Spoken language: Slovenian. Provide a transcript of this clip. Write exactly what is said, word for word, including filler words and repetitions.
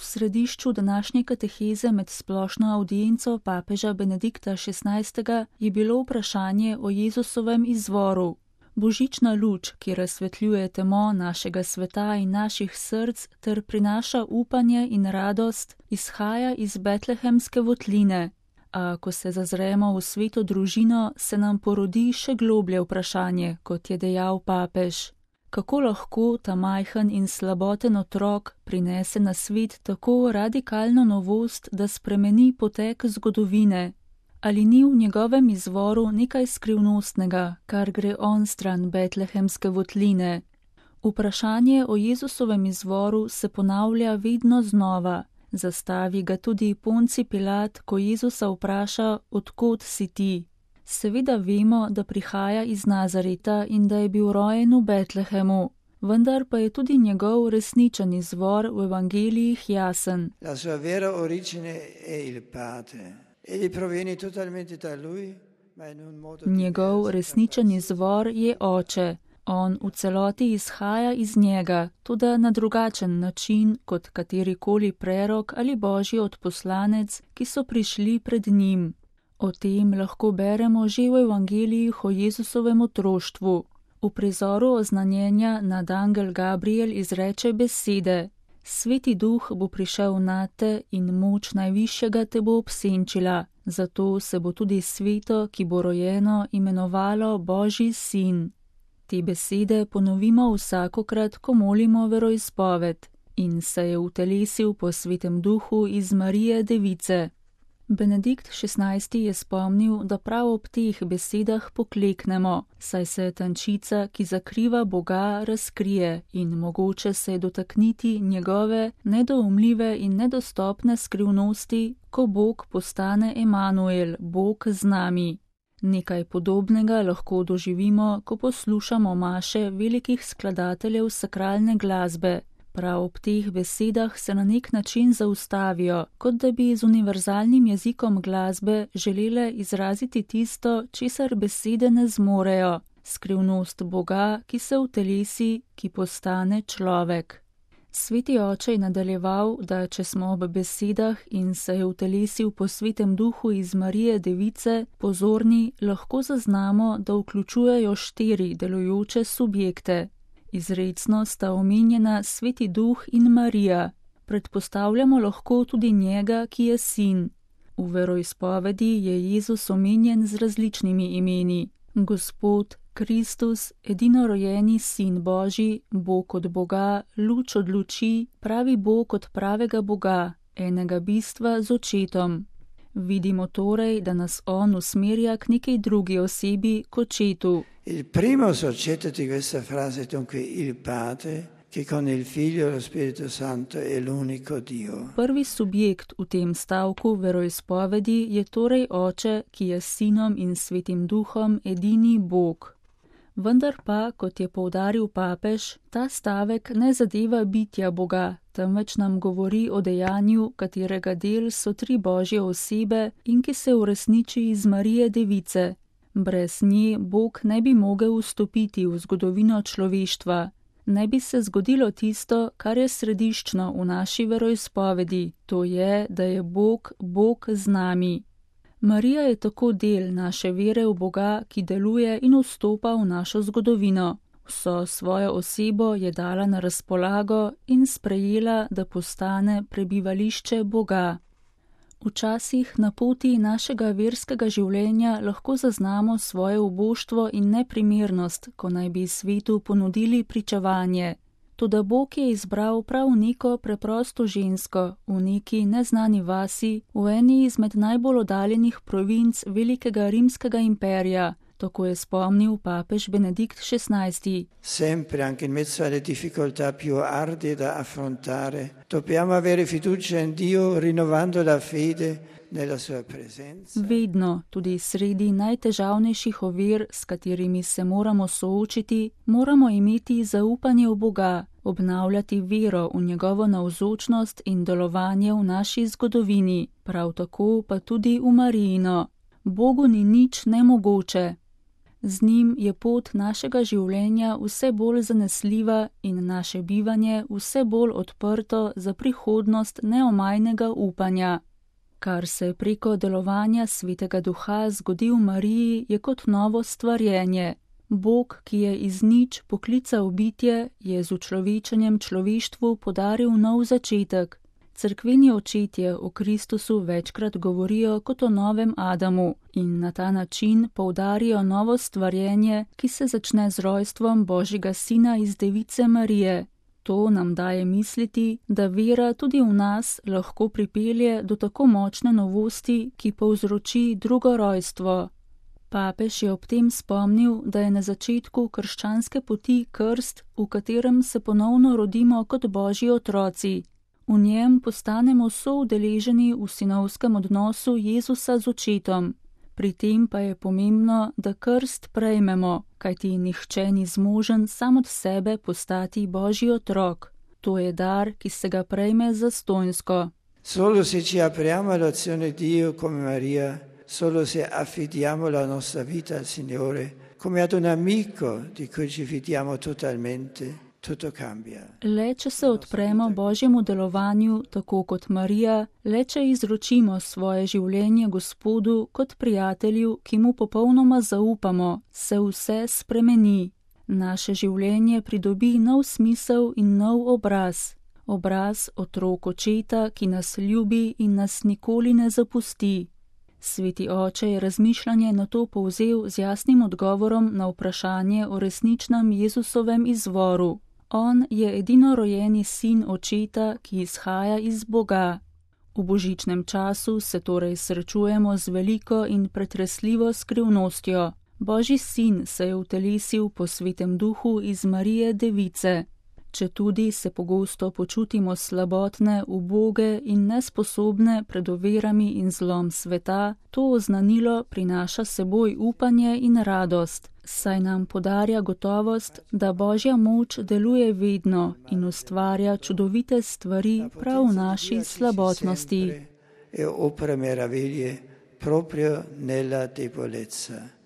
V središču današnje kateheze med splošno avdienco papeža Benedikta šestnajstega je bilo vprašanje o Jezusovem izvoru. Božična luč, ki razsvetljuje temo našega sveta in naših src ter prinaša upanje in radost, izhaja iz betlehemske votline. A ko se zazremo v sveto družino, se nam porodi še globlje vprašanje, kot je dejal papež. Kako lahko ta majhen in slaboten otrok prinese na svet tako radikalno novost, da spremeni potek zgodovine? Ali ni v njegovem izvoru nekaj skrivnostnega, kar gre onstran betlehemske votline? Vprašanje o Jezusovem izvoru se ponavlja vedno znova. Zastavi ga tudi Ponci Pilat, ko Jezusa vpraša, odkod si ti. Seveda vemo, da prihaja iz Nazareta in da je bil rojen v Betlehemu, vendar pa je tudi njegov resničen izvor v evangelijih jasen. La sua vera origine è il Padre. Egli proviene totalmente da lui, ma in un modo Njegov resničen izvor je Oče. On v celoti izhaja iz njega, toda na drugačen način kot katerikoli prerok ali božji odposlanec, ki so prišli pred njim. O tem lahko beremo že v evangelijih o Jezusovem otroštvu. V prizoru oznanjenja nad angel Gabriel izreče besede: Sveti duh bo prišel nate in moč najvišjega te bo obsenčila, zato se bo tudi sveto, ki bo rojeno, imenovalo Božji sin. Te besede ponovimo vsakokrat, ko molimo veroizpoved: In se je utelesil po svetem duhu iz Marije Device. Benedikt šestnajsti je spomnil, da prav ob teh besedah pokleknemo, saj se tančica, ki zakriva Boga, razkrije in mogoče se je dotakniti njegove nedoumljive in nedostopne skrivnosti, ko Bog postane Emanuel, Bog z nami. Nekaj podobnega lahko doživimo, ko poslušamo maše velikih skladateljev sakralne glasbe. Prav ob teh besedah se na nek način zaustavijo, kot da bi z univerzalnim jezikom glasbe želele izraziti tisto, česar besede ne zmorejo, skrivnost Boga, ki se utelesi, ki postane človek. Sveti oče je nadaljeval, da če smo ob besedah in se je utelesil po svetem duhu iz Marije Device pozorni, lahko zaznamo, da vključujejo štiri delujoče subjekte. Izrecno sta omenjena Sveti duh in Marija. Predpostavljamo lahko tudi njega, ki je sin. V veroizpovedi je Jezus omenjen z različnimi imeni: Gospod, Kristus, edinorojeni sin Božji, Bog od Boga, luč od luči, pravi Bog od pravega Boga, enega bistva z očetom. Vidimo torej, da nas on usmerja k nekej drugi osebi, k očetu. Il primo soggetto di questa frase è dunque il Padre, che con il Figlio e lo Spirito Santo è l'unico Dio. Prvi subjekt v tem stavku veroizpovedi je torej Oče, ki je s Sinom in Svetim Duhom edini Bog. Vendar pa, kot je poudaril papež, ta stavek ne zadeva bitja Boga, temveč nam govori o dejanju, katerega del so tri božje osebe in ki se uresniči iz Marije Device. Brez nje Bog ne bi mogel vstopiti v zgodovino človeštva. Ne bi se zgodilo tisto, kar je središčno v naši veroizpovedi, to je, da je Bog, Bog z nami. Marija je tako del naše vere v Boga, ki deluje in vstopa v našo zgodovino. Vso svojo osebo je dala na razpolago in sprejela, da postane prebivališče Boga. Včasih na poti našega verskega življenja lahko zaznamo svoje uboštvo in neprimernost, ko naj bi svetu ponudili pričevanje. Toda Bog je izbral prav neko preprosto žensko v neki neznani vasi, v eni izmed najbolj oddaljenih provinc velikega rimskega imperija, tako je spomnil papež Benedikt šestnajsti. Sempre, anche in mezzo alle difficoltà più arde da affrontare, dobbiamo avere fiducia in Dio, rinnovando la fede nella sua presenza. Vedno, tudi sredi najtežavnejših ovir, s katerimi se moramo soočiti, moramo imeti zaupanje v Boga, obnavljati vero v njegovo navzočnost in delovanje v naši zgodovini, prav tako pa tudi v Marijino. Bogu ni nič nemogoče. Z njim je pot našega življenja vse bolj zanesljiva in naše bivanje vse bolj odprto za prihodnost neomajnega upanja. Kar se preko delovanja Svetega Duha zgodi v Mariji, je kot novo stvarjenje. Bog, ki je iz nič poklical bitje, je z učlovečenjem človeštvu podaril nov začetek. Cerkveni očetje o Kristusu večkrat govorijo kot o novem Adamu in na ta način poudarijo novo stvarjenje, ki se začne z rojstvom Božjega Sina iz Device Marije. To nam daje misliti, da vera tudi v nas lahko pripelje do tako močne novosti, ki povzroči drugo rojstvo. Papež je ob tem spomnil, da je na začetku krščanske poti krst, v katerem se ponovno rodimo kot Božji otroci. V njem postanemo soudeleženi v sinovskem odnosu Jezusa z očetom. Pri tem pa je pomembno, da krst prejmemo, kajti nihče ni zmožen sam od sebe postati Božji otrok. To je dar, ki se ga prejme zastonjsko. Solo se ci apriamo all'azione di Dio come Maria, solo se affidiamo la nostra vita al Signore, come ad un amico di cui ci fidiamo totalmente, tutto cambia. Le če se odpremo Božjemu delovanju, tako kot Marija, le če izročimo svoje življenje Gospodu kot prijatelju, ki mu popolnoma zaupamo, se vse spremeni. Naše življenje pridobi nov smisel in nov obraz. Obraz otrok očeta, ki nas ljubi in nas nikoli ne zapusti. Sveti oče je razmišljanje na to povzel z jasnim odgovorom na vprašanje o resničnem Jezusovem izvoru. On je edinorojeni sin očeta, ki izhaja iz Boga. V božičnem času se torej srečujemo z veliko in pretresljivo skrivnostjo. Božji sin se je utelesil po Svetem Duhu iz Marije Device. Četudi se pogosto počutimo slabotne, uboge in nesposobne pred ovirami in zlom sveta, to oznanilo prinaša seboj upanje in radost, saj nam podarja gotovost, da Božja moč deluje vedno in ustvarja čudovite stvari prav v naši slabotnosti. E opera meraviglie proprio nella debolezza.